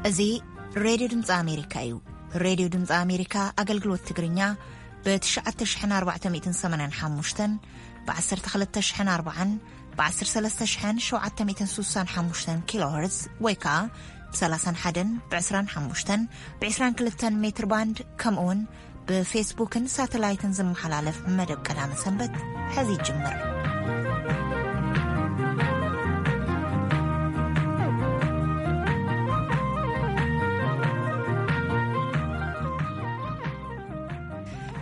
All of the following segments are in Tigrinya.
እዚ ሬድዮ ድምፂ ኣሜሪካ እዩ። ሬድዮ ድምፂ ኣሜሪካ ኣገልግሎት ትግርኛ ብ ትሽዓተ ሽሕን ኣርባዕተ ሚእትን ሰማንያን ሓሙሽተን፣ ብ ዓሰርተ ክልተ ሽሕን ኣርባዓን፣ ብ ዓሰርተ ሰለስተ ሽሕን ሸውዓተ ሚእትን ስሳን ሓሙሽተን ኪሎ ሄርዝ ወይ ከዓ ብ ሰላሳን ሓደን፣ ብ ዕስራን ሓሙሽተን፣ ብ ዕስራን ክልተን ሜትር ባንድ፣ ከምኡ እውን ብፌስቡክን ሳተላይትን ዝመሓላለፍ መደብ ቀዳመ ሰንበት ሕዚ ይጅምር።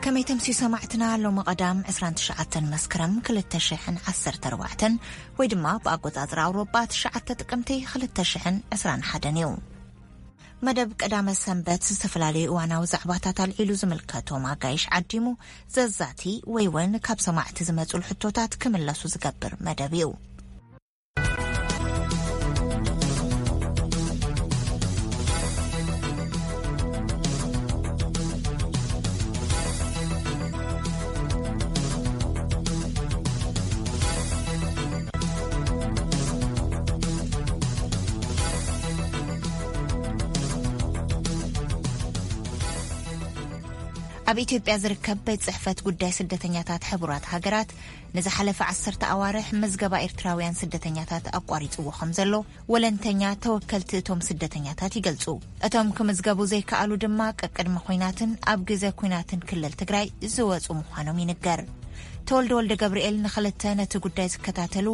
ከመይ ተምስዩ ሰማዕትና፣ ሎሚ ቀዳም ዕስራን ትሽዓተን መስከረም ክልተ ሽሕን ዓሰርተ ኣርባዕተን ወይ ድማ ብኣቆጻጽራ ኣውሮጳ ትሽዓተ ጥቅምቲ ክልተ ሽሕን ዕስራን ሓደን እዩ። መደብ ቀዳመ ሰንበት ዝተፈላለዩ እዋናዊ ዛዕባታት ኣልዒሉ ዝምልከቶም ኣጋይሽ ዓዲሙ ዘዛቲ ወይ እውን ካብ ሰማዕቲ ዝመጹ ሕቶታት ክምለሱ ዝገብር መደብ እዩ። ኣብ ኢትዮጵያ ዝርከብ ቤት ጽሕፈት ጉዳይ ስደተኛታት ሕቡራት ሃገራት ንዝሓለፈ ዓሰርተ ኣዋርሕ ምዝገባ ኤርትራውያን ስደተኛታት ኣቋሪጽዎ ከም ዘሎ ወለንተኛ ተወከልቲ እቶም ስደተኛታት ይገልጹ። እቶም ክምዝገቡ ዘይከኣሉ ድማ ቀቅድሚ ኲናትን ኣብ ግዜ ኲናትን ክልል ትግራይ ዝወጹ ምዃኖም ይንገር። ተወልደ ወልደ ገብርኤል ንኽልተ ነቲ ጉዳይ ዝከታተሉ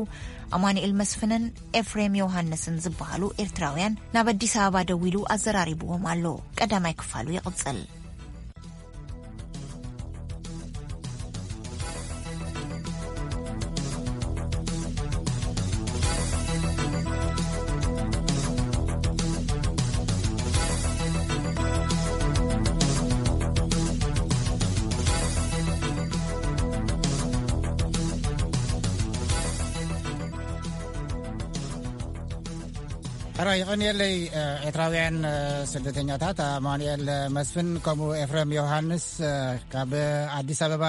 ኣማኑኤል መስፍንን ኤፍሬም ዮሃንስን ዝበሃሉ ኤርትራውያን ናብ ኣዲስ ኣበባ ደዊሉ ኣዘራሪብዎም ኣሎ። ቀዳማይ ክፋሉ ይቕጽል። ሕራይ ይቐንየለይ። ኤርትራውያን ስደተኛታት ኣማኑኤል መስፍን ከምኡ ኤፍሬም ዮሃንስ ካብ ኣዲስ ኣበባ፣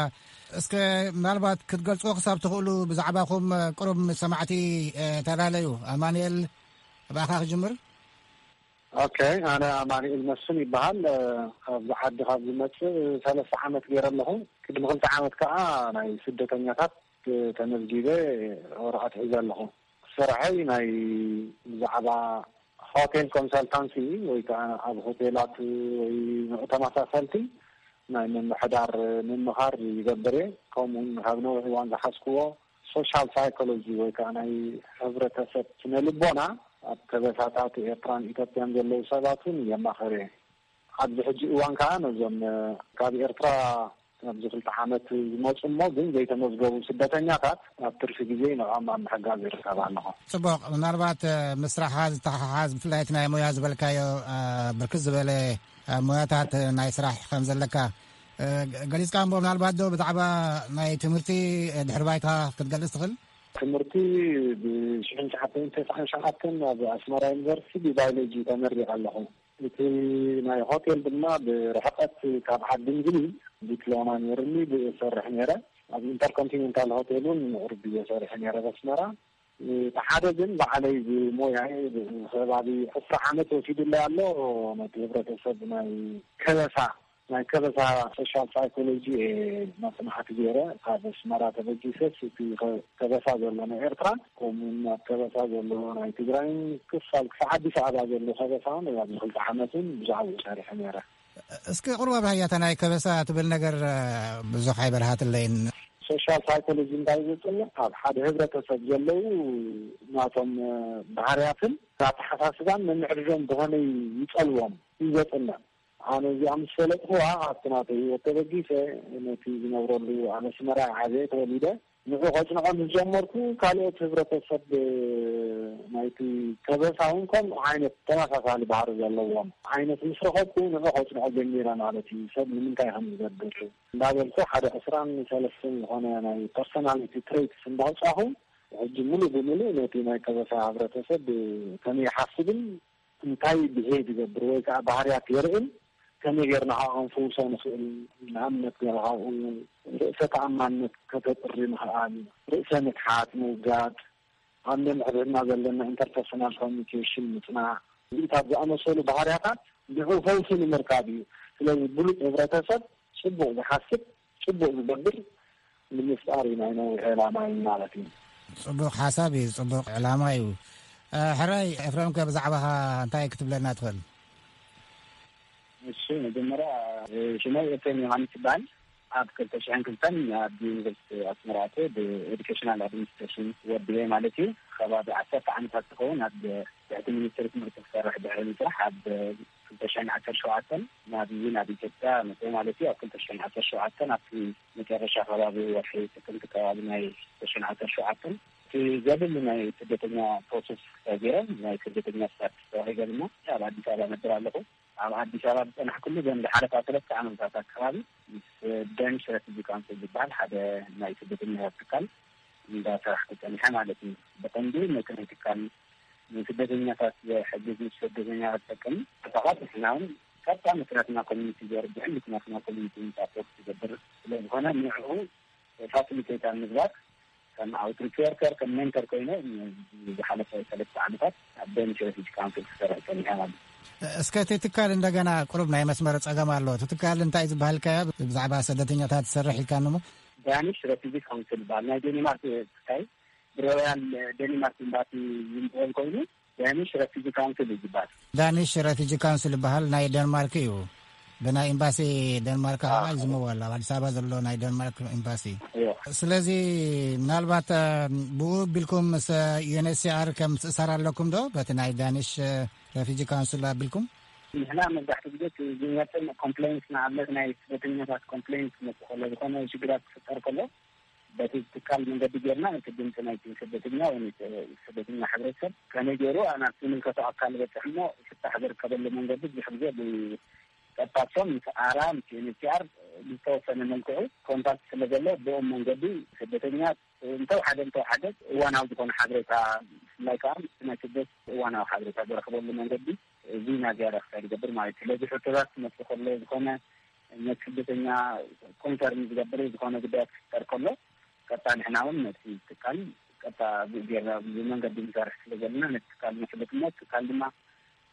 እስከ ምናልባት ክትገልጽዎ ክሳብ ትኽእሉ ብዛዕባኹም ቅሩብ ምስ ሰማዕቲ ተላለዩ። ኣማኑኤል፣ ብኣኻ ክጅምር። ኦኬ፣ ኣነ ኣማኑኤል መስፍን ይበሃል። ኣብዚ ዓዲ ካብ ዝመጽእ ሰለስተ ዓመት ገይረ ኣለኹ። ቅድሚ ክልተ ዓመት ከኣ ናይ ስደተኛታት ተመዝጊበ ወረቐት ሒዘ ኣለኹ። ስርሐይ ናይ ብዛዕባ ሆቴል ኮንሰልታንሲ ወይ ከዓ ኣብ ሆቴላት ወይ ንዑ ተመሳሰልቲ ናይ ምምሕዳር ምምኻር ይገብር እየ። ከምኡውን ካብ ነዊሕ እዋን ዝሓዝክዎ ሶሻል ሳይኮሎጂ ወይ ከዓ ናይ ሕብረተሰብ ስነ ልቦና ኣብ ከበሳታት ኤርትራን ኢትዮጵያን ዘለዉ ሰባት እውን የማኸር እየ። ኣብዚ ሕጂ እዋን ከዓ ነዞም ካብ ኤርትራ ኣብዚ ክልተ ዓመት ዝመፁ እሞ ግን ዘይተመዝገቡ ስደተኛታት ኣብ ትርፊ ግዜ ንዕኦም ኣብ ምሕጋዝ ይርከብ ኣለኹ። ጽቡቕ። ምናልባት ምስ ስራሕኻ ዝተሓሓዝ ብፍላይ እቲ ናይ ሞያ ዝበልካዮ ብርክት ዝበለ ሞያታት ናይ ስራሕ ከም ዘለካ ገሊጽካ እሞ፣ ምናልባት ዶ ብዛዕባ ናይ ትምህርቲ ድሕሪ ባይታ ክትገልጽ ትኽእል? ትምህርቲ ብሽሕን ትሽዓተ ሚእትን ተስዓን ሸውዓተን ኣብ ኣስመራ ዩኒቨርሲቲ ብባዮሎጂ ተመሪቐ ኣለኹ። እቲ ናይ ሆቴል ድማ ብርሕቀት ካብ ዓዲ እንግሊዝ ዲፕሎማ ነይርኒ ብሰርሕ ነይረ። ኣብ ኢንተርኮንቲኔንታል ሆቴል እውን ምዕሩግ ግዜ ሰሪሐ ነይረ በስመራ። እቲ ሓደ ግን ባዕለይ ብሞያይ ከባቢ ዕስራ ዓመት ወሲዱለይ ኣሎ። ነቲ ህብረተሰብ ናይ ከበሳ ናይ ከበሳ ሶሻል ሳይኮሎጂ እየ መፅናዕቲ ገይረ ካብ ኣስመራ ተበጊሰስ እቲ ከበሳ ዘሎ ናይ ኤርትራ ከምኡውን ኣብ ከበሳ ዘሎ ናይ ትግራይን ክፋል ክሳዕ ኣዲስ ኣበባ ዘሎ ከበሳ እውን ኣብዚ ክልተ ዓመትን ብዛዕባኡ ሰሪሐ ነይረ። እስኪ ቁርባ ባህያታ ናይ ከበሳ ትብል ነገር ብዙሕ ኣይበርሃትለይን። ሶሻል ሳይኮሎጂ እንታይ ዘፅንዕ ኣብ ሓደ ህብረተሰብ ዘለዉ ናቶም ባህርያትን ኣተሓሳስባን ምምዕርሮም ብኸመይ ይፀልዎም እዩ ዘፅንዕ። ኣነ እዚኣ ምስ ፈለጥኩዋ ኣብቲ ናተይ ህይወት ተበጊሰ ነቲ ዝነብረሉ ኣብ ኣስመራ ዓብየ ተወሊደ ንዑ ከጽንዖ ምስ ጀመርኩ ካልኦት ህብረተሰብ ናይቲ ከበሳ እውን ከምኡ ዓይነት ተመሳሳሊ ባህሪ ዘለዎም ዓይነት ምስ ረኸብኩ ንዑ ከጽንዖ ጀሚረ ማለት እዩ። ሰብ ንምንታይ ከም ዝገብር እንዳበልኩ ሓደ ዕስራን ሰለስተን ዝኾነ ናይ ፐርሶናሊቲ ትሬትስ እንዳውጻኹ ሕጂ ሙሉእ ብሙሉእ ነቲ ናይ ከበሳ ህብረተሰብ ከመይ ይሓስብን እንታይ ብሄቭ ይገብር ወይ ከዓ ባህርያት የርእን ከመይ ጌርና ከዓ ክንፍውሶ ንኽእል። ንኣብነት ገለ ካብኡ ርእሰ ተኣማንነት ከተጥሪ ምኽኣል፣ ርእሰ ምትሓት ምውጋድ፣ ኣብ ነንሕድሕድና ዘለና ኢንተርፐርሶናል ኮሚኒኬሽን ምፅናዕ፣ እዚታት ዝኣመሰሉ ባህርያታት ንዕኡ ፈውሲ ንምርካብ እዩ። ስለዚ ብሉጽ ህብረተሰብ፣ ጽቡቕ ዝሓስብ፣ ጽቡቕ ዝገብር ንምፍጣር እዩ ናይ ነዊሕ ዕላማ እዩ ማለት እዩ። ጽቡቕ ሓሳብ እዩ፣ ጽቡቕ ዕላማ እዩ። ሕራይ ኤፍረምከ፣ ብዛዕባኻ እንታይ ክትብለና ትኽእል? እሺ፣ መጀመርያ ሽመይ ኤፍሬም ዮሃንስ ይበሃል። ኣብ ክልተ ሽሕን ክልተን ኣብ ዩኒቨርሲቲ ኣስመራ ኣትየ ብኤዱኬሽናል ኣድሚኒስትሬሽን ወዲኤ ማለት እዩ። ከባቢ ዓሰርተ ዓመታት ዝኸውን ኣብ ትሕቲ ሚኒስትሪ ትምህርቲ ክሰርሕ ድሕሪ ምስራሕ ኣብ ክልተ ሽሕን ዓሰርተ ሸውዓተን ናብ ናብ ኢትዮጵያ መፅእ ማለት እዩ። ኣብ ክልተ ሽሕን ዓሰርተ ሸውዓተን ኣብቲ መጨረሻ ከባቢ ወርሒ ጥቅምቲ ከባቢ ናይ ክልተ ሽሕን ዓሰርተ ሸውዓተን እቲ ዘድሊ ናይ ስደተኛ ፕሮሰስ ተገይረ ናይ ስደተኛ ስታትስ ተዋሂበልና ኣብ ኣዲስ ኣበባ ነብር ኣለኹ። ኣብ ኣዲስ ኣበባ ዝፀናሕኩሉ ዘን ዝሓለፋ ሰለስተ ዓመታት ኣካባቢ ምስ ደንሽ ረፊጂ ካውንስል ዝበሃል ሓደ ናይ ስደተኛታት ትካል እንዳሰራሕኩ ፀኒሐ ማለት እዩ። ብቐንዱ ነቲ ናይ ትካል ንስደተኛታት ዝሕግዝ፣ ንስደተኛታት ዝጠቅም ዕጣቓት ንሕና እውን ቀጥታ ምስ ናትና ኮሚኒቲ ዘርግሕን ምስ ናትና ኮሚኒቲ ምፃእ ፖስት ዝገብር ስለዝኾነ ንዕኡ ፋሲሊቴት ኣብ ምግባር ከም ኣውትሪች ወርከር ከም ሜንተር ኮይነ ዝሓለፈ ሰለስተ ዓመታት ኣብ ደንሽ ረፊጂ ካውንስል ክሰርሕ ፀኒሐ ማለት እዩ። እስከ እቲ ትካል እንደገና ቁሩብ ናይ መስመር ጸገም ኣሎ። እቲ ትካል እንታይ ዝበሃል ከ ብዛዕባ ስደተኛታት ዝሰርሕ ኢልካኒ እሞ? ዳኒሽ ረፊጂ ካውንስል ይበሃል። ናይ ዴኒማርክ ትካይ ብሮያል ዴኒማርክ ኤምባሲ ዝምበል ኮይኑ ዳኒሽ ረፊጂ ካውንስል እዩ ዝበሃል። ዳኒሽ ረፊጂ ካውንስል ይበሃል። ናይ ደንማርክ እዩ። ብናይ ኤምባሲ ደንማርክ ከዓ ይዝመው ኣሎ። ኣብ ኣዲስ ኣበባ ዘሎ ናይ ደንማርክ ኤምባሲ። ስለዚ ምናልባት ብኡ ኣቢልኩም ምስ ዩኤንኤችሲኣር ከም ትእሳር ኣለኩም ዶ? በቲ ናይ ዳኒሽ ረፊጂ ካውንስል ኣቢልኩም? ንሕና መብዛሕትኡ ግዜ ዝመፅእ ኮምፕሌንስ ንኣብነት ናይ ስደተኛታት ኮምፕሌንስ ክመፅእ ከሎ ዝኾነ ሽግራት ክፍጠር ከሎ በቲ ትካል መንገዲ ጌርና እቲ ድምፂ ናይቲ ስደተኛ ወይ ስደተኛ ሕብረተሰብ ከመይ ገይሩ ናብ ዝምልከቶ ኣካል በፅሕ እሞ ፍታሕ ዝርከበሉ መንገዲ ብዙሕ ግዜ ብቀጥታሶም ምስ ኣራ ምስ ዩኤንኤችሲኣር ብዝተወሰነ መልክዑ ኮንታክት ስለ ዘሎ ብኦም መንገዲ ስደተኛ እንተወሓደ እንተወሓደ እዋናዊ ዝኾነ ሓበሬታ ብፍላይ ከዓ ናይ ስደት እዋናዊ ሓበሬታ ዝረኽበሉ መንገዲ እዚ ናዚያ ዳክሳይ ዝገብር ማለት እዩ። ስለዚ ሕቶታት ክመፅእ ከሎ ዝኾነ ነቲ ስደተኛ ኮንሰርን ዝገብር ዝኾነ ጉዳያት ክፍጠር ከሎ ቀጥታ ንሕና እውን ነቲ ትካል ቀጥታ ብኡ ጌርና ብመንገዲ ንሰርሕ ስለ ዘለና ነቲ ትካል ነፍልጥ እሞ እቲ ትካል ድማ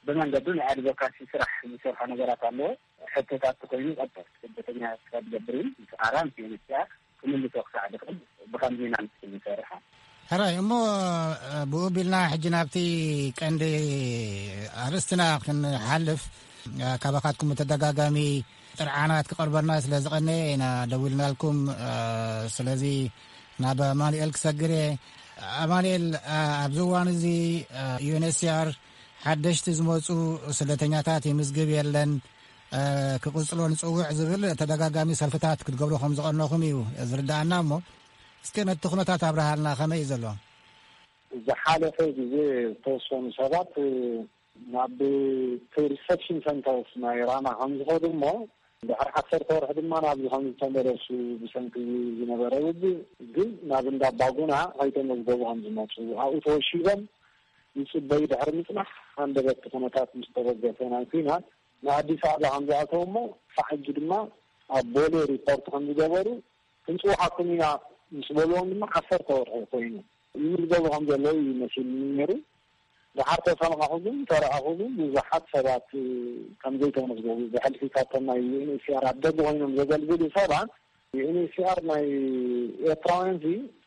ብመንገዱ ናይ ኣድቮካሲ ስራሕ ዝሰርሖ ነገራት ኣለዎ። ሕቶታት ተኮይኑ ቀጥታ ስደተኛ ስራ ዝገብር እዩ። ምስ ኣራ ምስ ዩኤንኤችሲኣር ክምልሶ ክሳዕ ዝኽእል ብኸምዚ ኢና ንሰርሕ። ሕራይ እሞ ብኡ ቢልና ሕጂ ናብቲ ቀንዲ ኣርእስትና ክንሓልፍ ካባኻትኩም ብተደጋጋሚ ጥርዓናት ክቐርበልና ስለ ዝቐነየ ኢና ደዊልናልኩም። ስለዚ ናብ ኣማኑኤል ክሰግር እየ። ኣማኑኤል፣ ኣብዚ እዋን እዚ ዩኤንኤችሲኣር ሓደሽቲ ዝመፁ ስደተኛታት ይምዝግብ የለን፣ ክቕፅሎ ንፅውዕ ዝብል ተደጋጋሚ ሰልፍታት ክትገብሩ ከም ዝቐነኹም እዩ ዝርዳኣና። እሞ እስከ ነቲ ኩነታት ኣብርሃልና፣ ከመይ እዩ ዘሎ? ዝሓለፈ ግዜ ዝተወሰኑ ሰባት ናብ ሪሰፕሽን ሰንተርስ ናይ ራማ ከም ዝኸዱ እሞ ድሕሪ ዓሰርተ ወርሒ ድማ ናብዚ ከም ዝተመለሱ ብሰንኪ ዝነበረ ውግእ ግን ናብ እንዳ ባጉና ከይተመዝገቡ ከም ዝመፁ ኣብኡ ተወሺቦም ይፅበዩ ድሕሪ ምፅናሕ ሃንደበት ኩነታት ምስ ተበገሰ ናይ ኲናት ንኣዲስ ኣበባ ከም ዝኣተው እሞ ክሳዕ ሕጂ ድማ ኣብ ቦሌ ሪፖርት ከም ዝገበሩ ክንፅውዓኩም ኢና ምስ በልዎም ድማ ዓሰርተ ወርሒ ኮይኑ ይምዝገቡ ከም ዘለዉ እዩ መሲልኒ ነይሩ። ድሓር ተሰማዕኹ ግን ተረኣኹ ግን ብዙሓት ሰባት ከም ዘይተመዝገቡ ብሕልፊ ካብቶም ናይ ዩኤንኤችሲኣር ኣብ ደገ ኮይኖም ዘገልግሉ ሰባት ዩኤንኤችሲኣር ናይ ኤርትራውያን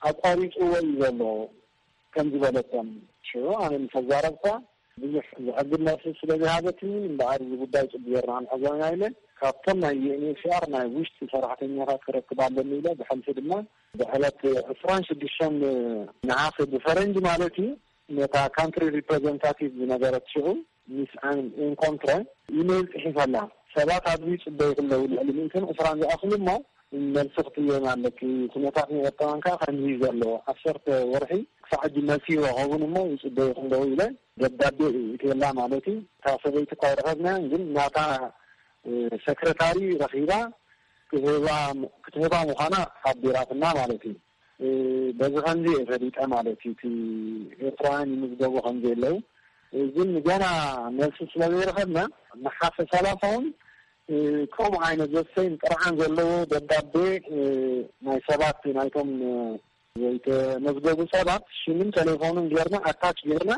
ኣቋሪፅዎ እዩ ዘሎ ከም ዝበለቶም ሽዑ ኣነ ምስ ኣዛረብካ ብዙሕ ዘዕግብ መልሲ ስለ ዝሃበትኒ እምበኣር እዚ ጉዳይ ፅቡቅ ጌርና ክንሕዞ ኢና ኢለ ካብቶም ናይ ዩኤንኤችሲኣር ናይ ውሽጢ ሰራሕተኛታት ክረክብ ኣለኒ ኢለ ብሕልፊ ድማ ብዕለት ዕስራን ሽዱሽተን ነሓሰ ብፈረንጂ ማለት እዩ ነታ ካንትሪ ሪፕሬዘንታቲቭ ዝነበረት ሽዑ ሚስ ኣን ኤንኮንትረ ኢሜይል ፅሒፈላ ሰባት ኣብዚ ይፅበዩ ከለዉ ልዕሊ ሚእትን ዕስራን ዝኣኽሉ እሞ መልሲ ክትህበና ኣለኪ። ኩነታት ናይ ኤርትራውያን ከኣ ከምዚ እዩ ዘሎ። ዓሰርተ ወርሒ ክሳዕ ሕጂ መልሲ ይረኸቡን እሞ ይጽበዩ ኣለዉ ኢለ ደብዳቤ እእትየላ ማለት እዩ። እታ ሰበይቲ እኳ ኣይረኸብናያን፣ ግን ናታ ሰክረታሪ ረኺባ ክትህባ ክትህባ ምዃና ሓቢራትና ማለት እዩ። በዚ ከምዚ እየ ፈሊጠ ማለት እዩ። እቲ ኤርትራውያን ይምዝገቡ ከም ዘለዉ ግን ገና መልሲ ስለ ዘይረኸብና ነሓሰ ሰላሳ እውን ከምኡ ዓይነት ዘስተይን ጥርዓን ዘለዎ ደብዳቤ ናይ ሰባት ናይቶም ዘይተመዝገቡ ሰባት ሽምን ተሌፎንን ጌርና ኣታች ጌርና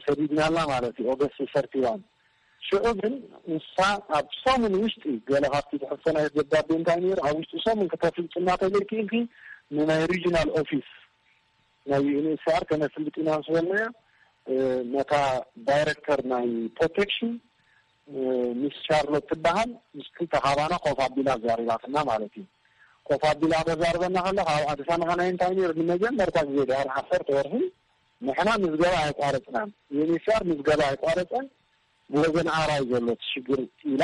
ሰዲድናላ ማለት እዩ። ኦገስት ሰርቲዋን ሽዑ ግን ንሳ ኣብ ሰሙን ውሽጢ ገለ ካብቲ ትሕዝቶ ናይ ደብዳቤ እንታይ ነይሩ፣ ኣብ ውሽጢ ሰሙን ከተፍልጥና ተዘይክኢልኪ ንናይ ሪጂናል ኦፊስ ናይ ዩኤንኤችሲኣር ከነፍልጥ ኢና ምስ በልናያ፣ ነታ ዳይረክተር ናይ ፕሮቴክሽን ሚስ ሻርሎት ትበሃል፣ ምስ ክልተ ካባና ኮፍ ኣቢላ ኣዛሪባትና ማለት እዩ። ኮፍ ኣቢላ ተዛርበና ከላ ካብ ኣዲስ ኣበባ ናይ እንታይ ነይሩ፣ ንመጀመርታ ግዜ ድሕሪ ዓሰርተ ወርሒ ንሕና ምዝገባ ኣይቋረፅናን፣ ዩኤንኤችሲኣር ምዝገባ ኣይቋረፀን፣ ብወገን ኣራይ ዘሎ እቲ ሽግር ኢላ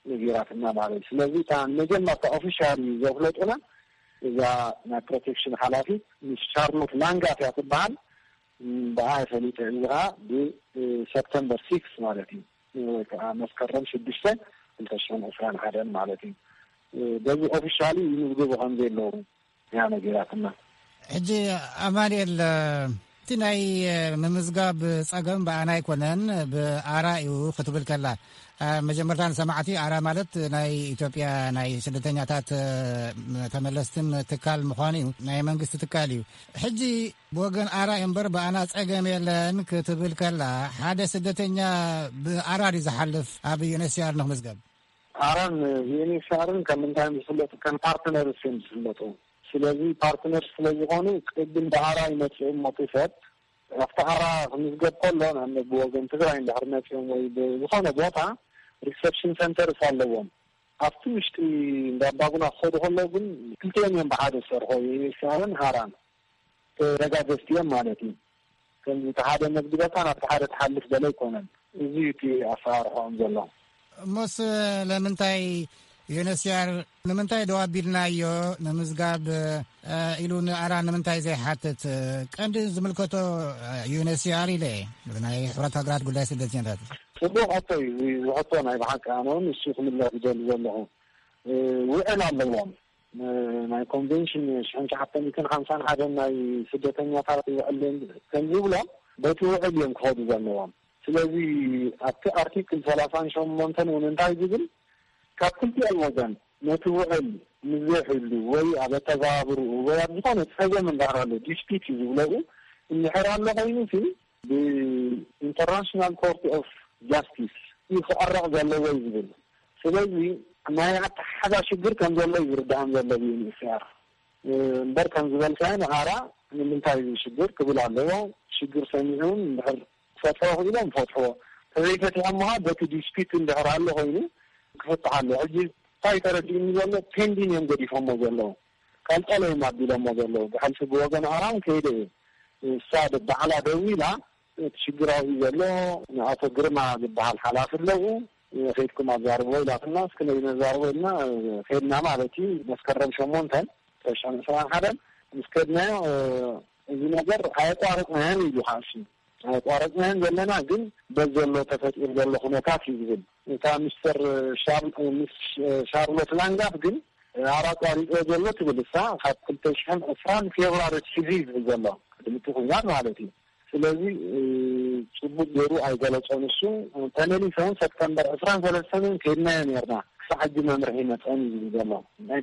ነጊራትና ማለት እዩ። ስለዚ እታ መጀመርታ ኦፊሻሊ ዘፍለጡና እዛ ናይ ፕሮቴክሽን ሓላፊት ሚስ ሻርሎት ላንጋት እያ ትበሃል። ብኣ ፈሊጠ፣ እዚ ከዓ ብሰፕተምበር ሲክስ ማለት እዩ፣ ወይ ከዓ መስከረም ሽዱሽተ ክልተ ሽሕን ዕስራን ሓደን ማለት እዩ። በዚ ኦፊሻሊ ይምዝግቡ ከም ዘለዉ እያ ነጊራትና። ሕጂ ኣማኑኤል፣ እቲ ናይ ምምዝጋብ ጸገም ብኣና ኣይኮነን፣ ብኣራ እዩ ክትብል ከላ፣ መጀመርታ ንሰማዕቲ፣ ኣራ ማለት ናይ ኢትዮጵያ ናይ ስደተኛታት ተመለስትን ትካል ምዃኑ እዩ፣ ናይ መንግስቲ ትካል እዩ። ሕጂ ብወገን ኣራ እምበር ብኣና ጸገም የለን ክትብል ከላ፣ ሓደ ስደተኛ ብኣራ ድዩ ዝሓልፍ ኣብ ዩኤንኤችሲኣር ንክምዝገብ? ኣራን ዩኤንኤችሲኣርን ከም እንታይ ዝፍለጡ? ከም ፓርትነርስ እዮም ዝፍለጡ። ስለዚ ፓርትነርስ ስለ ዝኾኑ ቅድም ብኣራ ይመጽኡ እሞ እቲ ሰብ ኣብቲ ኣራ ክምዝገብ ከሎ፣ ንኣብነት ብወገን ትግራይ እንድሕር መጺኦም ወይ ብዝኾነ ቦታ ሪሰፕሽን ሰንተርስ ኣለዎም። ኣብቲ ውሽጢ እንዳ ኣባጉና ክኸዱ ከለዉ ግን ክልቲኦም እዮም ብሓደ ዝሰርሑ፣ ዩኤንኤችሲኣርን ኣራን ተረጋገዝቲ እዮም ማለት እዩ። ከምዚ እቲ ሓደ መዝግበካ ናብቲ ሓደ ትሓልፍ ገለ ኣይኮነን። እዚ እዩ እቲ ኣሰራርሕኦም ዘሎ። እሞስ ለምንታይ ዩኤንኤችሲኣር ንምንታይ ደው ኣቢልናዮ ንምዝጋብ ኢሉ ንኣራ ንምንታይ ዘይሓትት? ቀንዲ ዝምልከቶ ዩኤንኤችሲኣር ኢለ ናይ ሕብረት ሃገራት ጉዳይ ስደተኛታት። ጽቡቕ ሕቶ እዩ። እዚ ሕቶ ናይ ብሓቂ ኣነ እውን እሱ ክምለስ ዝደሊ ዘለኹ። ውዕል ኣለዎም። ናይ ኮንቬንሽን ሽሕን ትሽዓተ ሚእትን ሓምሳን ሓደን ናይ ስደተኛታት ውዕል ከም ዝብሎ በቲ ውዕል እዮም ክኸዱ ዘለዎም። ስለዚ ኣብቲ ኣርቲክል ሰላሳን ሸሞንተን እውን እንታይ ዝብል፣ ካብ ክልቲኦም ወገን ነቲ ውዕል ምስ ዘይሕሉ ወይ ኣብ ኣተገባብርኡ ወይ ኣብ ዝኾነ ጸገም እንዳሃሉ ዲስፒት እዩ ዝብለኡ እንድሕር ኣሎ ኮይኑ ሲ ብኢንተርናሽናል ኮርት ኦፍ ጃስቲስ እዩ ክዕረቕ ዘለዎ እዩ ዝብል። ስለዚ ናይ ኣተሓሕዛ ሽግር ከም ዘሎ እዩ ዝርድኣም ዘሎ ብዩኤንኤችሲኣር። እምበር ከም ዝበልካዮ ንኣራ ንምንታይ እዚ ሽግር ክብል ኣለዎ። ሽግር ሰሚዑ እውን እንድሕር ክፈትሕዎ ክኢሎም ፈትሕዎ። ተዘይፈቲሖም ከዓ በቲ ዲስፒት እንድሕር ኣሎ ኮይኑ ክፍትሕ ኣለዎ። ሕጂ እንታይ ተረዲኡኒ ዘሎ ፔንዲን እዮም ገዲፎሞ ዘለዉ። ቀልቀል እዮም ኣቢሎሞ ዘለዉ። ብሕልፊ ብወገን ኣራም ከይደ እዩ። እሳ ደ-፣ ባዕላ ደዊላ እቲ ሽግር ኣብዚ ዘሎ ንኣቶ ግርማ ዝበሃል ሓላፊ ኣለዉ። ከይድኩም ኣዛርብዎ ኢላትና፣ እስኪ ነዚ ነዛርቦ ኢልና ከይድና ማለት እዩ። መስከረም ሸሞንተን ተሽሕን ዕስራን ሓደን ምስ ከድናዮ፣ እዚ ነገር ኣየቋረጽናዮን ኢሉ ከዓ እሱ። ኣየቋረጽናዮን ዘለና ግን በዚ ዘሎ ተፈጢሩ ዘሎ ኩነታት እዩ ዝብል። እታ ሚስተር ሻር-፣ ሚስ ሻርሎት ላንጋፍ ግን ኣራ ኣቋሪጽዎ ዘሎ ትብል እሳ፣ ካብ ክልተ ሽሕን ዕስራን ፌብራሪ ኣትሒዙ እዩ ዝብል ዘሎ፣ ቅድሚ እቲ ኲናት ማለት እዩ። ስለዚ፣ እ፣ ጽቡቅ ገይሩ ኣይገለጾን እሱ። ተመሊሰ እውን ሰፕተምበር ዕስራን ሰለስተን እውን ከይድናዮ ነርና፣ ክሳዕ ሕጂ መምርሒ መጸን እዩ ዝብል ዘሎ።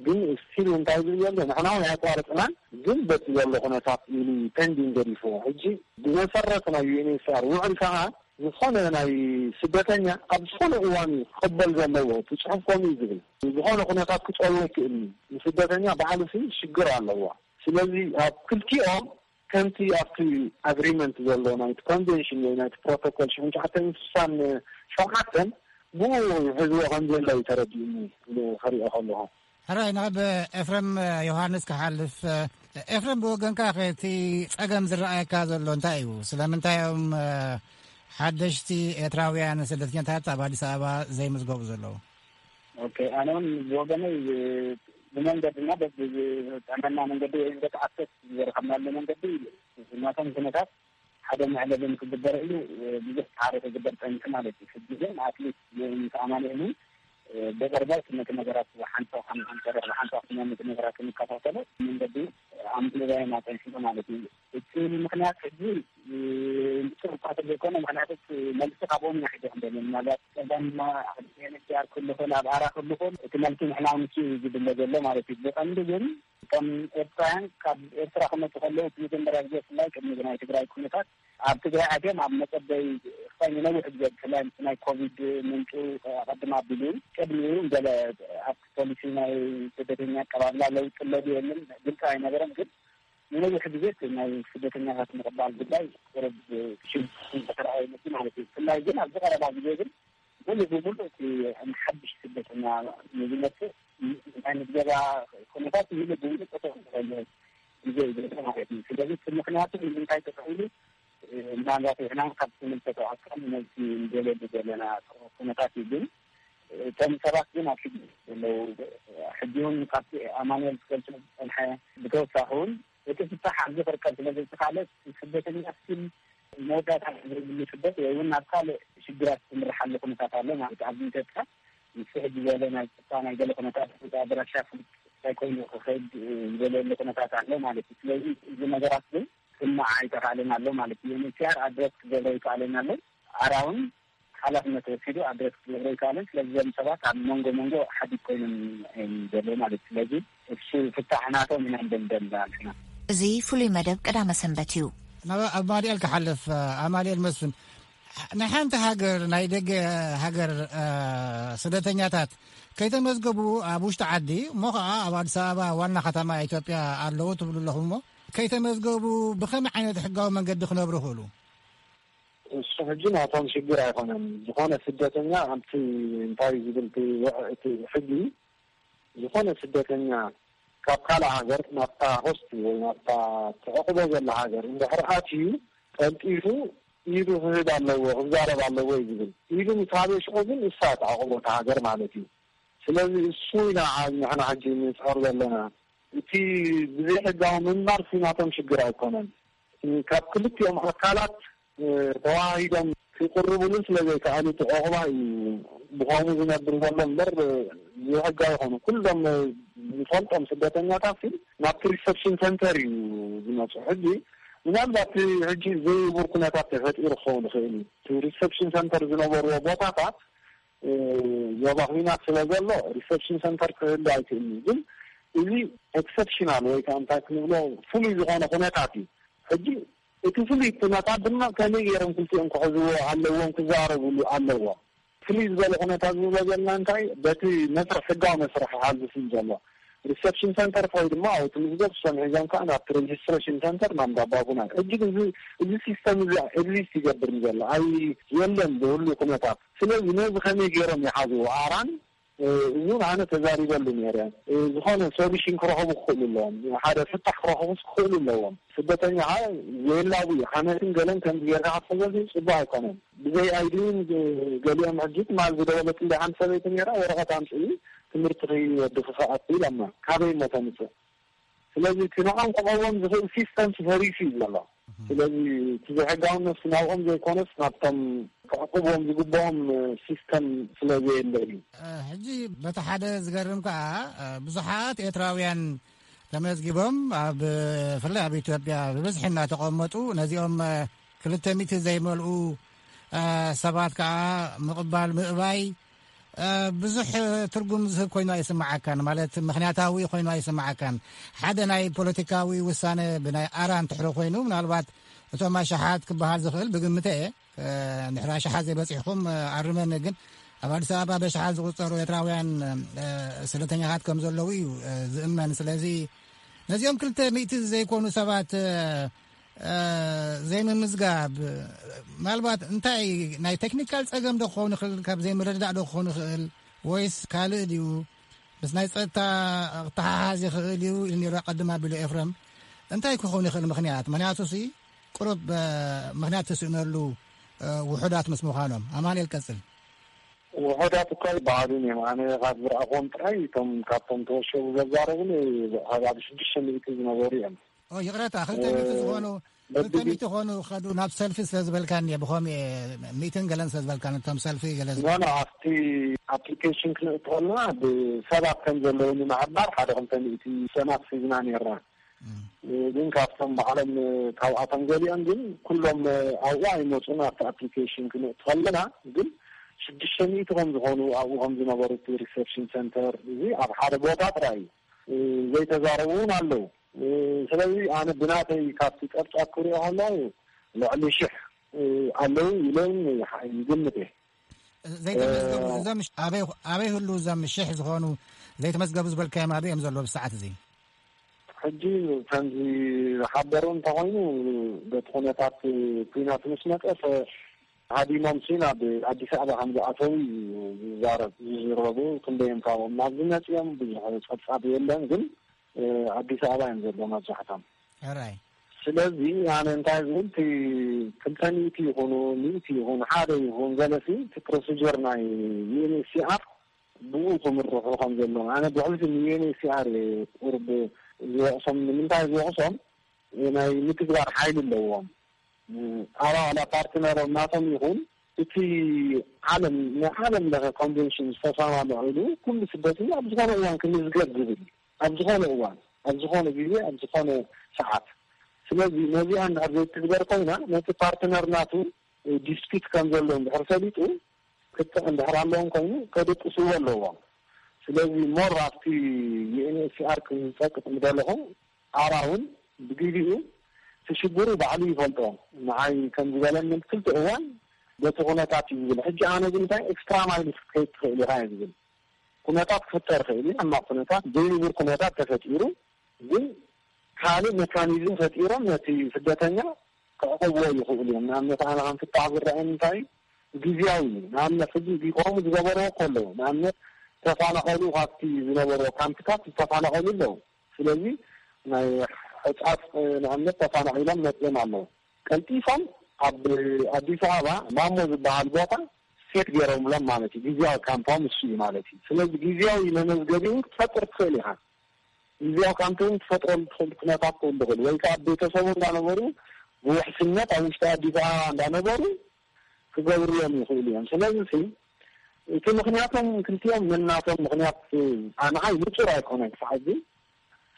ግን ስቲል እንታይ ዝብል ዘሎ፣ ንሕና እውን ኣየቋረጽናን፣ ግን በቲ ዘሎ ኩነታት ኢሉ ፔንዲንግ ገዲፍዎ። ሕጂ ብመሰረት ናይ ዩኤንኤችሲኣር ውዕል ከኣ ዝኾነ ናይ ስደተኛ ኣብ ዝኾነ እዋን እዩ ክቕበል ዘለዎ። እቲ ጽሑፍ ከምኡ እዩ ዝብል። ዝኾነ ኩነታት ክጸልዎ ይክእል እዩ። ንስደተኛ ባዕሉ ሲ ሽግር ኣለዎ። ስለዚ ኣብ ክልቲኦም ከምቲ ኣብቲ ኣግሪመንት ዘሎ ናይቲ ኮንቬንሽን ወይ ናይቲ ፕሮቶኮል ሽሕን ትሽዓተን ስሳን ሸውዓተን ብኡ ሕዝዎ ከም ዘሎ እዩ ተረዲኡኒ ክሪኦ ከለኹ። ሕራይ፣ ናብ ኤፍሬም ዮሃንስ ክሓልፍ። ኤፍሬም፣ ብወገንካ ከ እቲ ጸገም ዝረኣየካ ዘሎ እንታይ እዩ? ስለምንታይ እዮም ሓደሽቲ ኤርትራውያን ስደተኛታት ኣብ ኣዲስ ኣበባ ዘይምዝገቡ ዘለዉ? ኦኬ፣ ኣነ እውን ብወገነይ ብመንገድና በዚ ዝጠመና መንገዲ ወይ በቲ ኣክሰስ ዝረኸብናሉ መንገዲ ናቶም ኩነታት ሓደ መዕለቢ ንክግበር ኢሉ ብዙሕ ጻዕሪ ክግበር ጸኒሑ ማለት እዩ። ሕጂ ግን ኣትሊስት ምስ ኣማኑኤል እውን ብቕርበት ነቲ ነገራት ብሓንሳብ ከም ክንሰርሕ ብሓንሳብ ክመ ነቲ ነገራት ክንከታተሎ መንገዲ ኣምብልባይና ጸኒሕና ማለት እዩ። እቲ ምኽንያት ሕጂ ንሱ እኳ ዘይኮነ፣ ምኽንያቱ እቲ መልሲ ካብኦም ኢና ሒዞ ክንደሊ። ምናልባት ጸገም ኣብ ዩኤንኤችሲኣር ክህሉ ይኽእል፣ ኣብ ኣራ ክህሉ ይኽእል። እቲ መልሲ ንሕና ንሱ እዩ ዝድለ ዘሎ ማለት እዩ። ብቐንዱ ግን እቶም ኤርትራውያን ካብ ኤርትራ ክመፁ ከለዉ እቲ መጀመርያ ግዜ ብፍላይ ቅድሚ ናይ ትግራይ ኩነታት ኣብ ትግራይ ኣትዮም ኣብ መፀበይ ክሳይ ንነዊሕ ግዜ ብፍላይ ምስ ናይ ኮቪድ ምንጩ ኣቐድም ኣቢሉ ቅድሚኡ ገለ ኣብቲ ፖሊሲ ናይ ስደተኛ ኣቀባብላ ለውጢ ኣሎ ድዩ የለን ግልፂ ኣይነበረን። ግን ንነዊሕ ግዜ እቲ ናይ ስደተኛታት ምቕባል ጉዳይ ቁሩብ ሽግር ዝተረኣየ ይመስል ማለት እዩ። ብፍላይ ግን ኣብዚ ቀረባ ግዜ ግን ሙሉ ብሙሉ እቲ ሓድሽ ስደተኛ ንዝመፅእ ናይ ምዝገባ ኩነታት ሙሉ ብሙሉ ጠጠው ዝበለ ግዜ እዩ ዘሎ ማለት እዩ። ስለዚ እቲ ምኽንያቱ ንምንታይ ጠጠው ኢሉ ምናልባት ንሕና ካብ ዝምልከቶ ኣካል መልሲ ንደልየሉ ዘለና ኩነታት እዩ። ግን እቶም ሰባት ግን ኣብ ሽግር ዘለዉ ሕጂ እውን ካብቲ ኣማኑኤል ዝገልጾ ዝጸንሐ ብተወሳኺ እውን እቲ ፍታሕ ኣብዚ ክርከብ ስለ ዘይተኻእለ ስደተኛ ስቲል መወዳእታ ዘይብሉ ስደት ወይ እውን ናብ ካልእ ሽግራት ዝምርሓሉ ኩነታት ኣሎ ማለት ኣብዚ ኢትዮጵያ ምስ ሕጂ ዝበለ ናይ ጸጥታ ናይ ገለ ኩነታት ኣድራሻ ፍሉጥ እንታይ ኮይኑ ክኸይድ ዝበለሉ ኩነታት ኣሎ ማለት እዩ። ስለዚ እዚ ነገራት ግን ክማዕ ኣይተኻእለን ኣሎ ማለት እዩ። ዩኤንኤችሲኣር ኣድረስ ክገብሮ ይከኣለን ኣሎ። ኣራ እውን ሓላፍነት ወሲዱ ኣድረስ ክገብሮ ይከኣለን። ስለዚ እዞም ሰባት ኣብ መንጎ መንጎ ሓዲግ ኮይኖም እዮም ዘለዉ ማለት እዩ። ስለዚ እሱ ፍታሕ ናቶም ኢና ንደልደል ኣለና። እዚ ፍሉይ መደብ ቀዳመ ሰንበት እዩ። ናብ ኣማኑኤል ክሓልፍ። ኣማኑኤል መስፍን፣ ናይ ሓንቲ ሃገር ናይ ደገ ሃገር ስደተኛታት ከይተመዝገቡ ኣብ ውሽጢ ዓዲ እሞ ከዓ ኣብ ኣዲስ ኣበባ ዋና ከተማ ኢትዮጵያ ኣለዉ ትብሉ ኣለኹም እሞ ከይተመዝገቡ ብኸመይ ዓይነት ሕጋዊ መንገዲ ክነብሩ ይኽእሉ? እሱ ሕጂ ናቶም ሽግር ኣይኮነን። ዝኾነ ስደተኛ ኣብቲ እንታይ ዝብል እቲ ሕጊ ዝኾነ ስደተኛ ካብ ካልእ ሃገር ናብታ ሆስት ወይ ናብታ ተዕቑቦ ዘላ ሃገር እንድሕር ኣትዩ ቀልጢፉ ኢዱ ክህብ ኣለዎ ክዛረብ ኣለዎ እዩ ዝብል። ኢዱ ምስ ሃበ ሽዑ ግን እሳ ተዕቑቦ እታ ሃገር ማለት እዩ። ስለዚ እሱ ኢና ንሕና ሕጂ ንፅዕር ዘለና። እቲ ብዘይሕጋዊ ምንባር ሲናቶም ሽግር ኣይኮነን። ካብ ክልቲኦም ኣካላት ተዋሃሂዶም ክቅርብሉ ስለዘይከኣሉ እቲ ዑቕባ እዩ ብኸምኡ ዝነብር ዘሎ እምበር ዘይሕጋዊ ይኾኑ። ኩሎም ዝፈልጦም ስደተኛታት ናብቲ ሪሰፕሽን ሰንተር እዩ ዝመፁ። ሕጂ ምናልባት ሕጂ ዘይውር ኩነታት ተፈጢሩ ክኸውን ይኽእል እዩ። እቲ ሪሰፕሽን ሰንተር ዝነበርዎ ቦታታት ዞባ ኹናት ስለ ዘሎ ሪሰፕሽን ሰንተር ክህሉ ኣይክእልን እዩ። ግን እዚ ኤክሰፕሽናል ወይ ከዓ እንታይ ክንብሎ ፍሉይ ዝኾነ ኩነታት እዩ። ሕጂ እቲ ፍሉይ ኩነታት ድማ ከመይ ገይሮም ክልቲኦም ክሕዝዎ ኣለዎም፣ ክዛረብሉ ኣለዎም። ፍልይ ዝበለ ኩነታት ዝብሎ ዘለና እንታይ በቲ መስርሕ ሕጋዊ መስርሕ ይሓልፍ እዩ ዘሎ። ሪሰፕሽን ሰንተር ከይዱ ድማ ኣብኡ ትምዝገብ፣ እሶም ሒዞም ከዓ ናብቲ ሬጅስትሬሽን ሰንተር ናብ እንዳባቡና። ሕጂ ግን እዚ ሲስተም እዚ ኤግዚስት ይገብር ዘሎ ኣይ የለን ብህሉ ኩነታት። ስለዚ ነዚ ከመይ ገይሮም ይሓዝዎ ኣራን እውን ኣነ ተዛሪበሉ ነይረ። ዝኾነ ሶሉሽን ክረኽቡ ክኽእሉ ኣለዎም፣ ሓደ ፍታሕ ክረኽቡስ ክኽእሉ ኣለዎም። ስደተኛ ከዓ የላቡ እዩ። ሓመትን ገለን ከምዚ ጌርካ ክትሕዘሉ ፅቡቅ ኣይኮነን። ብዘይ ኣይዲን ገሊኦም ሕጂ ትማል ዝደወለትለይ ሓንቲ ሰበይቲ ነይራ፣ ወረቐት ኣምፅኢ ትምህርቲ ከይወዲ ክኸኣት ኢላማ። ካበይ እሞ ተምፅእ? ስለዚ እቲ ንዖም ክቐዎም ዝኽእል ሲስተም ፈሪሱ እዩ ዘሎ። ስለዚ እቲ ዘይሕጋውነት ናብኦም ዘይኮነስ ናብቶም ክዕቅብዎም ዝግብኦም ሲስተም ስለ ዘየለ እዩ። ሕጂ በቲ ሓደ ዝገርም ከዓ ብዙሓት ኤርትራውያን ተመዝጊቦም ኣብ ብፍላይ ኣብ ኢትዮጵያ ብብዝሒ እናተቐመጡ ነዚኦም ክልተ ሚእቲ ዘይመልኡ ሰባት ከዓ ምቕባል ምእባይ ብዙሕ ትርጉም ዝህብ ኮይኑ ኣይስምዓካን። ማለት ምኽንያታዊ ኮይኑ ኣይስምዓካን። ሓደ ናይ ፖለቲካዊ ውሳነ ብናይ ኣራ እንትሕረ ኮይኑ ምናልባት እቶም ኣሽሓት ክበሃል ዝኽእል ብግምተ እየ። ንሕራ ሸሓት ዘይበፂሕኩም ኣርመኒ። ግን ኣብ ኣዲስ ኣበባ በሽሓት ዝቁፀሩ ኤርትራውያን ስደተኛታት ከም ዘለዉ እዩ ዝእመን። ስለዚ ነዚኦም ክልተ ሚእቲ ዘይኮኑ ሰባት ዘይምምዝጋብ ምናልባት እንታይ ናይ ቴክኒካል ፀገም ዶ ክኸውን ይኽእል፣ ካብ ዘይምርድዳእ ዶ ክኸውን ይኽእል፣ ወይስ ካልእ ድዩ? ምስ ናይ ፀጥታ ክተሓሓዝ ይኽእል እዩ ኢሉ ነይሩ ኣቐድም ኣቢሉ ኤፍረም። እንታይ ክኸውን ይኽእል ምኽንያት? ምኽንያቱ ሲ ቁሩብ ምኽንያት ተስእነሉ ውሑዳት ምስ ምዃኖም። ኣማኑኤል ቀጽል። ውሑዳት እኳ ይበሃሉን እዮም። ኣነ ካብ ዝረኣኹዎም ጥራይ እቶም ካብቶም ተወሸቡ ዘዛረቡኒ ኣብ ሽዱሽተ ሚእቲ ዝነበሩ እዮም። ይቕረታ ክልተ ሚእቲ ዝኾኑ ክልተ ሚእቲ ዝኾኑ ከዱ ናብ ሰልፊ ስለ ዝበልካኒ እየ። ብኸምኡ እየ ሚእትን ገለን ስለ ዝበልካኒ እቶም ሰልፊ ገለ ኖ ኖ ኣብቲ ኣፕሊኬሽን ክንእትወልና ብሰባት ከም ዘለዉ ንምሕባር ሓደ ክልተ ሚእቲ ሰማት ሒዝና ነርና። ግን ካብቶም ባዕሎም ካብኣቶም ገሊኦም ግን ኩሎም ኣብኡ ኣይመፁን። ኣብቲ ኣፕሊኬሽን ክንእቲ ከለና ግን ሽዱሽተ ሚእቲ ከም ዝኾኑ ኣብኡ ከም ዝነበሩ እቲ ሪሰፕሽን ሰንተር እዚ ኣብ ሓደ ቦታ ጥራይ እዩ። ዘይተዛረቡ እውን ኣለዉ። ስለዚ ኣነ ብናተይ ካብቲ ጸብጻብ ክሪኦ ከለኹ ልዕሊ ሽሕ ኣለዉ ኢለ ይግምት እየ። ዘይተመዝገቡ እዞም ኣበይ ኣበይ ህሉ እዞም ሽሕ ዝኾኑ ዘይተመዝገቡ ዝበልካዮም ኣበይ እዮም ዘለዉ ብሰዓት እዚ? ሕጂ ከምዚ ሓበሩ እንተኾይኑ በቲ ኩነታት ኩናት ምስ መጸ ሃዲሞም ሲ ናብ ኣዲስ ኣበባ ከም ዝኣተዉ እዩ ዝዛረብ ዝዝረቡ። ክንደዮም ካብኦም ናብዚ መጺኦም ብዙሕ ጸብጻብ የለን፣ ግን ኣዲስ ኣበባ እዮም ዘለዉ መብዛሕቶም። ሕራይ ስለዚ ኣነ እንታይ ዝብል እቲ ክልተ ሚእቲ ይኹኑ ሚእቲ ይኹን ሓደ ይኹን ገለሲ እቲ ፕሮሲጀር ናይ ዩኤንኤችሲኣር ብኡ ክምርሑ ከም ዘለዎም ኣነ ብሕልፊ ንዩኤንኤችሲኣር እየ ቁርብ ዝወቕሶም። ንምንታይ ዝወቕሶም ናይ ምትግባር ሓይሊ ኣለዎም። ኣባላ ፓርትነሮም ናቶም ይኹን እቲ ዓለም ናይ ዓለም ለኸ ኮንቨንሽን ዝተሰማምዑ ኢሉ ኩሉ ስደተኛ ኣብ ዝኾነ እዋን ክምዝገብ ዝብል ኣብ ዝኾነ እዋን ኣብ ዝኾነ ግዜ ኣብ ዝኾነ ሰዓት። ስለዚ ነዚኣ እንድሕር ዘይትግበር ኮይና ነቲ ፓርትነር ናቱ ዲስፒት ከም ዘሎ እንድሕር ፈሊጡ ክትዕ እንድሕር ኣለዎም ኮይኑ ከደቅስዎ ኣለዎም። ስለዚ ሞር ኣብቲ ዩኤንኤችሲኣር ክጸቅጥ ምደለኹ ኣራ እውን ብግዜኡ ትሽግሩ ባዕሉ ይፈልጦ። ንዓይ ከም ዝበለኒ ክልተ እዋን በቲ ኩነታት እዩ ዝብል። ሕጂ ኣነ ግን እንታይ ኤክስትራ ማይል ክትከይድ ትኽእል ኢኻ እየ ዝብል። ኩነታት ክፍጠር ይኽእል እዩ። ሕማቕ ኩነታት ዘይንቡር ኩነታት ተፈጢሩ ግን ካልእ ሜካኒዝም ፈጢሮም ነቲ ስደተኛ ክዕቐብዎ ይኽእሉ እዮም። ንኣብነት ኣነ ከም ፍታሕ ዝረኣየኒ እንታይ እዩ? ግዝያዊ እዩ። ንኣብነት ሕጂ ዲቆሙ ዝገበርዎ ከለዉ ንኣብነት ተፋናቐሉ ካብቲ ዝነበርዎ ካምፕታት ዝተፋናቐሉ ኣለዉ። ስለዚ ናይ ሕጻጽ ንኣብነት ተፋናቒሎም መጽኦም ኣለዉ። ቀልጢፎም ኣብ ኣዲስ ኣበባ ማሞ ዝበሃል ቦታ ሴት ገይሮምሎም ማለት እዩ። ግዝያዊ ካምፖም እሱ እዩ ማለት እዩ። ስለዚ ግዝያዊ መመዝገቢውን ክትፈጥር ትኽእል ኢኻ። ግዝያዊ ካምፖም ትፈጥረሉ ትኽእል ኩነታት ክህሉ ይኽእል ወይ ከዓ ቤተሰቡ እንዳነበሩ ብውሕስነት ኣብ ውሽጢ ኣዲስ ኣበባ እንዳነበሩ ክገብርሎም ይኽእሉ እዮም። ስለዚ ሲ እቲ ምኽንያቶም ክልቲኦም ነናቶም ምኽንያት ኣንዓይ ንጹር ኣይኮነን ክሳዕ ሕጂ።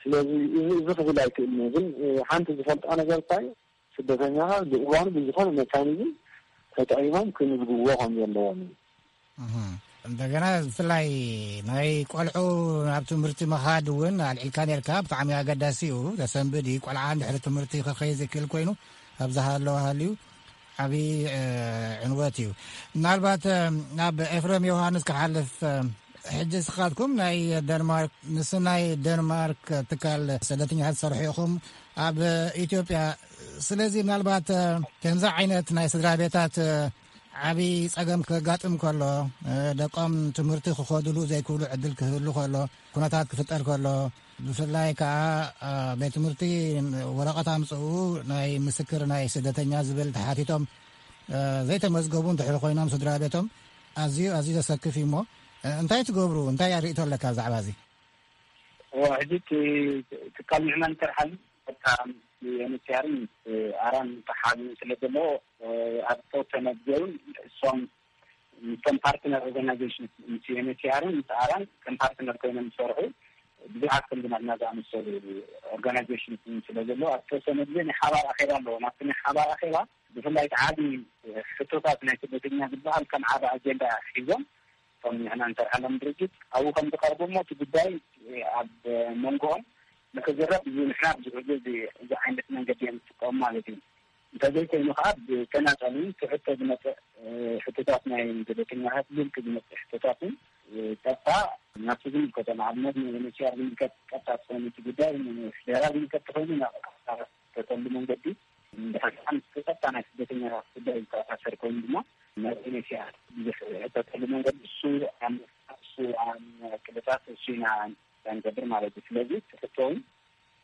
ስለዚ እዚ እዚ ክብል ኣይክእልን እየ። ግን ሓንቲ ዝፈልጣ ነገር እንታይ ስደተኛኻ ብእዋኑ ብዝኾነ ሜካኒዝም ተጠቒሞም ክምዝግብዎ ከም ዘለዎም እዩ። እህ። እንደገና ብፍላይ ናይ ቆልዑ ናብ ትምህርቲ ምኻድ እውን ኣልዒልካ ነርካ ብጣዕሚ ኣገዳሲ እዩ። ተሰንብድ እዩ። ቆልዓ እንድሕሪ ትምህርቲ ክኸይ ዝክእል ኮይኑ ኣብ ዝሃለወ ሃልዩ ዓብዪ ዕንወት እዩ። ምናልባት ናብ ኤፍሬም ዮሃንስ ክሓልፍ፣ ሕጂ ስኻትኩም ናይ ደንማርክ ምስ ናይ ደንማርክ ትካል ስደተኛታት ትሰርሑ ኢኹም ኣብ ኢትዮጵያ። ስለዚ ምናልባት ከምዚ ዓይነት ናይ ስድራ ቤታት ዓብዪ ጸገም ከጋጥም ከሎ፣ ደቆም ትምህርቲ ክኸዱሉ ዘይክብሉ ዕድል ክህሉ ከሎ፣ ኩነታት ክፍጠር ከሎ፣ ብፍላይ ከኣ ቤት ትምህርቲ ወረቐት ኣምጽኡ ናይ ምስክር ናይ ስደተኛ ዝብል ተሓቲቶም ዘይተመዝገቡ እንድሕር ኮይኖም ስድራ ቤቶም ኣዝዩ ኣዝዩ ዘሰክፍ እዩ። እሞ እንታይ ትገብሩ? እንታይ ኣርእቶ ኣለካ ብዛዕባ እዚ? እዋ፣ ሕጂ እቲ ትካል ምዕማን ይሰርሓሉ። በቃ ኤንኤችሲኣርን ኣራን ተሓቢኡ ስለ ዘለዎ ኣብ ተወሰነ ግዜ እውን እሶም ምስቶም ፓርትነር ኦርጋናይዜሽን ምስ ኤንኤችሲኣርን ምስ ኣራን ከም ፓርትነር ኮይኖም ዝሰርሑ ብዙሓት ከምዚ ናትና ዝኣመሰሉ ኦርጋናይዜሽን ስለ ዘለዎ ኣብ ተወሰነ ግዜ ናይ ሓባር ኣኼባ ኣለዎ። ናብቲ ናይ ሓባር ኣኼባ ብፍላይ እቲ ዓቢ ሕቶታት ናይ ስደተኛ ዝበሃል ከም ዓቢ ኣጀንዳ ሒዞም እቶም ንሕና ንሰርሓሎም ድርጅት ኣብኡ ከም ዝቐርቡ እሞ እቲ ጉዳይ ኣብ መንጎኦም ንክዝረብ እዚ ንሕና ብዙሕ ግዜ እዚ ዓይነት መንገዲ እዮም ዝጥቀሙ ማለት እዩ። እንተዘይኮይኑ ከዓ ብተናጸልን ትሕቶ ዝመፅእ ሕቶታት ናይ ስደተኛታት ብውልቂ ዝመፅእ ሕቶታትን ቀጥታ ናብቲ ዝምልከቶ ንኣብነት ንኤንኤችሲኣር ዝምልከት ቀጥታ ተኾይኑ እቲ ጉዳይ ንፌደራል ዝምልከት ተኾይኑ ናብ ተተሉ መንገዲ እንድሕር ምስ ቀጥታ ናይ ስደተኛታት ጉዳይ ዝተኣሳሰር ኮይኑ ድማ ናብ ኤንኤችሲኣር ብዙሕ ሕተተሉ መንገዲ እሱ ኣብ እሱ ኣብ ቅድታት እሱ ኢና ንገብር ማለት እዩ። ስለዚ ትሕቶውን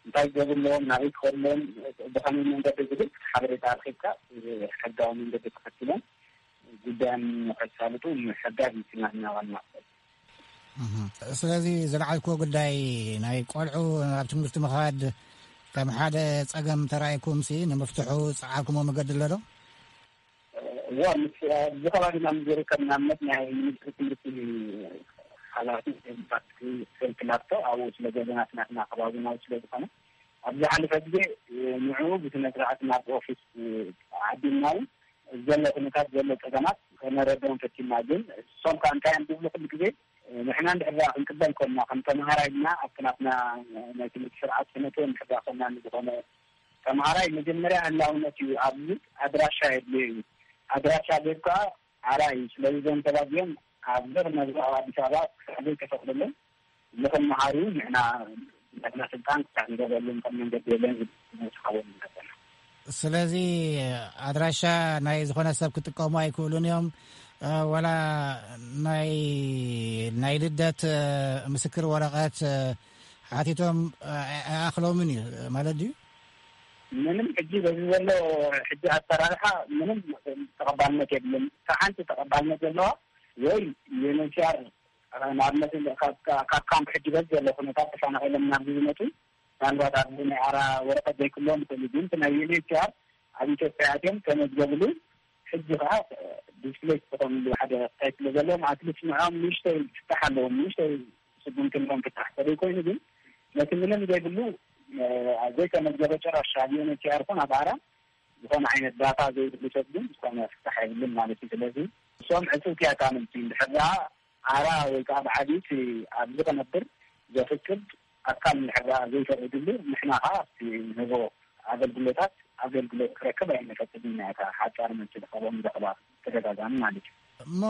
እንታይ ዝገብሩ ኣለዎም፣ ናበይ ክኸዱ ኣለዎም፣ ብኸመይ መንገዲ ዝብል ሓበሬታ ኣርኪብካ ሕጋዊ መንገዲ ተኸቲሎም ጉዳዮም ንኸሳልጡ ምሕጋዝ እዩ ናትና ዋና። ስለዚ ዝለዓልክዎ ጉዳይ ናይ ቆልዑ ናብ ትምህርቲ ምኻድ ከም ሓደ ጸገም ተራእይኩም ሲ ንምፍትሑ ጸዓርኩሞ መገዲ ኣሎ ዶ? እዋ ምስ ኣብዚ ከባቢና ዝርከብ ንኣብነት ናይ ሚኒስትሪ ትምህርቲ ሓላፊ ፓትሪ ፌልክላቶ ኣብኡ ስለ ዘለና ናትና ከባቢ ናብኡ ስለ ዝኾነ ኣብ ዝሓለፈ ግዜ ንዕኡ ብስነ ስርዓት ናብ ኦፊስ ዓዲምና እውን ዘሎ ኩነታት ዘሎ ፀገማት ከነረድኦም ፈቲና። ግን እሶም ከዓ እንታይ እዮም ዝብሉ ኩሉ ግዜ ንሕና እንድሕር ደኣ ክንቅበል ኮንና፣ ከም ተምሃራይ ድማ ኣብቲ ናትና ናይ ትምህርቲ ስርዓት ክነእትዎ እንድሕር ደኣ ኮንና፣ ንዝኾነ ተምሃራይ መጀመርያ ህላውነት እዩ። ኣብዚ ኣድራሻ የድልዮ እዩ። ኣድራሻ ቤት ከዓ ኣራ እዩ። ስለዚ እዞም ሰባት እዚኦም ኣብዚ ክነብሩ ኣብ ኣዲስ ኣበባ ክሳዕ ዘይተፈቕደሎም ንኽመሃሩ ንሕና ናትና ስልጣን ክሳዕ ንገብረሎም ከም መንገዲ የለን ዝብል ንስኻቦም ዘለና። ስለዚ ኣድራሻ ናይ ዝኾነ ሰብ ክጥቀሙ ኣይክእሉን እዮም። እ፣ ወላ ናይ፣ ናይ ልደት፣ እ፣ ምስክር ወረቐት፣ እ፣ ሓቲቶም፣ እ፣ ኣይኣኽሎምን እዩ ማለት ድዩ? ምንም ሕጂ በዚ ዘሎ ሕጂ ኣሰራርሓ ምንም ተቐባልነት የብልን። እታ ሓንቲ ተቐባልነት ዘለዋ ወይ ዩኤንኤችሲኣር ንኣብነት ካብ፣ ካብ ካምፕ ሕጂ በዚ ዘሎ ኩነታት ተፈናቒሎም ናብዚ ዝመጡ ምናልባት ኣብዚ ናይ ኣራ ወረቐት ዘይክልዎም ይኽእሉ፣ ግን እቲ ናይ ዩኤንኤችሲኣር ኣብ ኢትዮጵያ ኣትዮም ተመዝገብሉ ሕጂ ከዓ ዲስፕሌስ ዝኾንሉ ሓደ ክታይ ስለ ዘለዎም ኣትሊስት ንዕኦም ንእሽተይ ክፍታሕ ኣለዎም፣ ንእሽተይ ስጉምቲ ንኦም ክፍታሕ ተደይ ኮይኑ ግን ነቲ ምንም ዘይብሉ ዘይተመዝገበ ጨራሽ ኣብ ዩኤንኤችሲኣር ኮን ኣብ ኣራ ዝኾነ ዓይነት ዳታ ዘይብሉ ሰብ ግን ዝኾነ ፍታሕ የብልን ማለት እዩ። ስለዚ እሶም ዕፅውቲ ኣካልምቲ እንድሕር ደኣ ኣራ ወይ ከዓ ብዓቢቲ ኣብዚ ክነብር ዘፍቅድ ኣካል እንድሕር ደኣ ዘይፈቅድሉ ንሕና ከዓ ኣብቲ ንህቦ ኣገልግሎታት ኣገልግሎት ክረክብ ኣይንፈቅድን ኢና። እታ ሓፃር መልሲ ዝኸቦም ዘኽባ ተደጋጋሚ ማለት እዩ። እሞ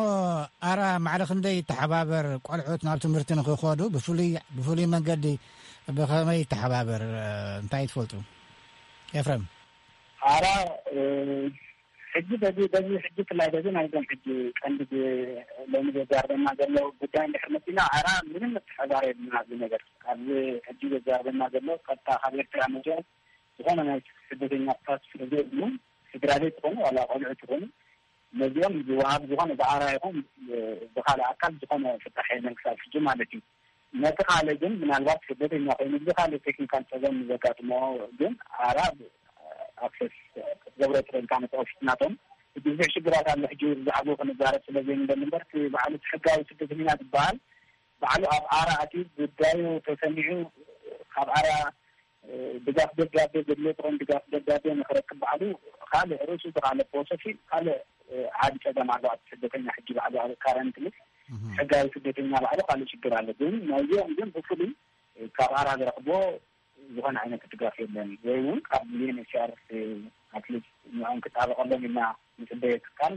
ኣራ ማዕረ ክንደይ ይተሓባበር ቆልዑት ናብ ትምህርቲ ንክኸዱ ብፍሉይ፣ ብፍሉይ መንገዲ ብኸመይ ይተሓባበር? እንታይ ትፈልጡ ኤፍረም? ኣራ ሕጂ በዚ፣ በዚ ሕጂ ፍላይ በዚ ናይዞም ሕጂ ቀንዲ ሎሚ ዘዛርበና ዘሎ ጉዳይ እንድሕር መፂና ኣራ ምንም ምትሕባር የብልና ኣብዚ ነገር። ኣብዚ ሕጂ ዘዛርበና ዘሎ ቀጥታ ካብ ኤርትራ መፅኦም ዝኾነ ናይ ስደተኛታት ስለ ዘይብሉ ስድራ ቤት ዝኾኑ ዋላ ቆልዑ ዝኾኑ ነዚኦም ዝወሃብ ዝኾነ ብኣራ ይኹን ብካልእ ኣካል ዝኾነ ፍታሕ የለን ክሳብ ሕጂ ማለት እዩ። ነቲ ካልእ ግን ምናልባት ስደተኛ ኮይኑ ብካልእ ቴክኒካል ፀገም ዘጋጥሞ ግን ኣራ ኣክሰስ ክትገብሮ ትኽእል ካብ ኦፊስ ናቶም። እቲ ብዙሕ ሽግራት ኣሎ። ሕጂ ብዛዕባኡ ክንዛረብ ስለ ዘይንደሊ እምበር እቲ ባዕሉ እቲ ሕጋዊ ስደተኛ ዝበሃል ባዕሉ ኣብ ኣራ ኣትዩ ጉዳዩ ተሰሚዑ ካብ ኣራ ድጋፍ ደብዳቤ ዘድልዮ ጥቕም ድጋፍ ደብዳቤ ንክረክብ ባዕሉ ካልእ ርእሱ ካልእ ፕሮሰስ ካልእ ዓቢ ጸገም ኣሎ። ኣብ ስደተኛ ሕጂ ባዕሉ ኣብ ካረንትሊ ሕጋዊ ስደተኛ ባዕሉ ካልእ ሽግር ኣሎ። ግን ናይዚኦም ግን ብፍሉይ ካብ ኣራ ዝረኽቦ ዝኾነ ዓይነት ድጋፍ የለን። ወይ እውን ካብ ዩኤንኤችሲኣር ኣትሊስት ንኦም ክጣበቐሎም ኢልና ንጽበዮ ትካል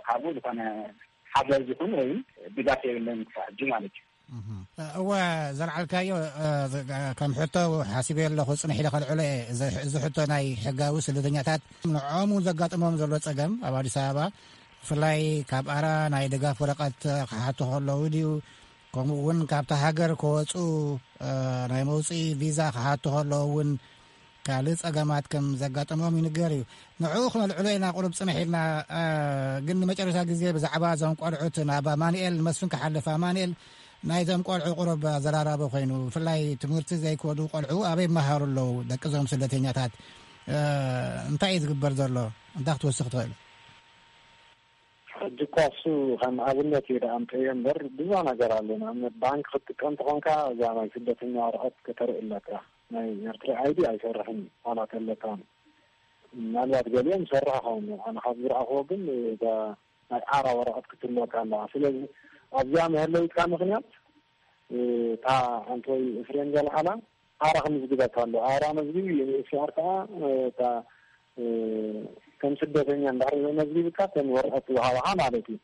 ካብኡ ዝኾነ ሓገዝ ይኹን ወይ ድጋፍ የብለን ክሳብ ሕጂ ማለት እዩ። እወ፣ ዘልዓልካዮ ከም ሕቶ ሓሲበ ኣለኹ፣ ጽንሕ ኢለ ከልዕሎ እየ። እዚ ሕቶ ናይ ሕጋዊ ስደተኛታት ንዖም እውን ዘጋጥሞም ዘሎ ጸገም ኣብ ኣዲስ ኣበባ ብፍላይ ካብ ኣራ ናይ ድጋፍ ወረቐት ክሓቱ ከለዉ ድዩ፣ ከምኡ እውን ካብታ ሃገር ከወፁ ናይ መውፅኢ ቪዛ ክሓቱ ከለዉ እውን ካልእ ጸገማት ከም ዘጋጠሞም ይንገር እዩ። ንዕኡ ክነልዕሎ ኢና ቁሩብ ጽንሕ ኢልና። ግን ንመጨረሻ ግዜ ብዛዕባ እዞም ቆልዑት ናብ ኣማኑኤል መስፍን ክሓልፍ። ኣማኑኤል፣ ናይዞም ቆልዑ ቁሩብ ኣዘራራቢ ኮይኑ፣ ብፍላይ ትምህርቲ ዘይከዱ ቆልዑ ኣበይ ይመሃሩ ኣለዉ? ደቂ እዞም ስደተኛታት እንታይ እዩ ዝግበር ዘሎ? እንታይ ክትወስኽ ትኽእል? ሕጂ እኳ እሱ ከም ኣብነት እዩ ደኣ ኣምፀዮ እምበር ብዙሕ ነገር ኣሎ። ንኣብነት ባንክ ክትጥቀም ተኾንካ እዛ ናይ ስደተኛ ወረቐት ከተርኢ ኣለካ። ናይ ኤርትራ ኣይዲ ኣይሰርሕን እዩ ዋላ ተለካ። ምናልባት ገሊኦም ይሰርሕ ኸውን። ኣነ ካብ ዝረኣኽዎ ግን እዛ ናይ ኣራ ወረቐት ክትህልወካ ኣለዋ። ስለዚ ኣብዚኣ መህለዊትካ ምኽንያት እታ ኣንቶይ ኤፍሬም ዘልዓላ ኣራ ክምዝግበካ ኣሎ። ኣራ መዝግቢ ዩኤንኤችሲኣር ከዓ እታ ከም ስደተኛ እንድሕር መዝግብካ ከም ወረቐት ዝሃባኻ ማለት እዩ።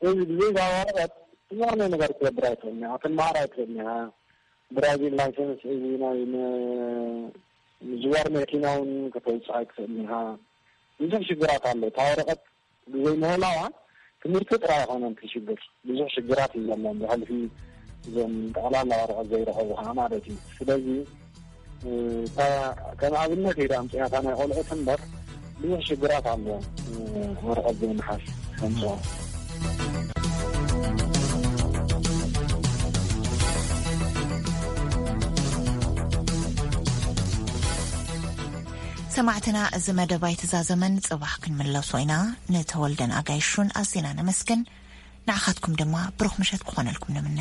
እዚ ብዘይዛ ወረቐት ዝኾነ ነገር ክትገብር ኣይትኽእልን ኢኻ፣ ክትመሃር ኣይትኽእልን ኢኻ። ድራይቪንግ ላይሰንስ እዚ ናይ ም- ምዝዋር መኪና እውን ከተውፅእ ኣይትኽእልን ኢኻ። ብዙሕ ሽግራት ኣሎ። እታ ወረቐት ብዘይምህላዋ ትምህርቲ ጥራይ ኣይኮነን እቲ ሽግር፣ ብዙሕ ሽግራት እዩ ዘሎ ብሕልፊ እዞም ጠቕላላ ወረቐት ዘይረኸቡ ከዓ ማለት እዩ። ስለዚ እታ ከም ኣብነት ኢለ ኣምፅኣታ ናይ ቆልዑት እምበር ብዙሕ ሽግራት ኣሎ። ወረቐት ዘይምሓዝ ከምፅኦ ሰማዕትና፣ እዚ መደብ ኣይተዛዘመን፣ ጽባሕ ክንምለሶ ኢና። ንተወልደን ኣጋይሹን ኣዚና ነመስግን። ንዓኻትኩም ድማ ብሩኽ ምሸት ክኾነልኩም ንምነ።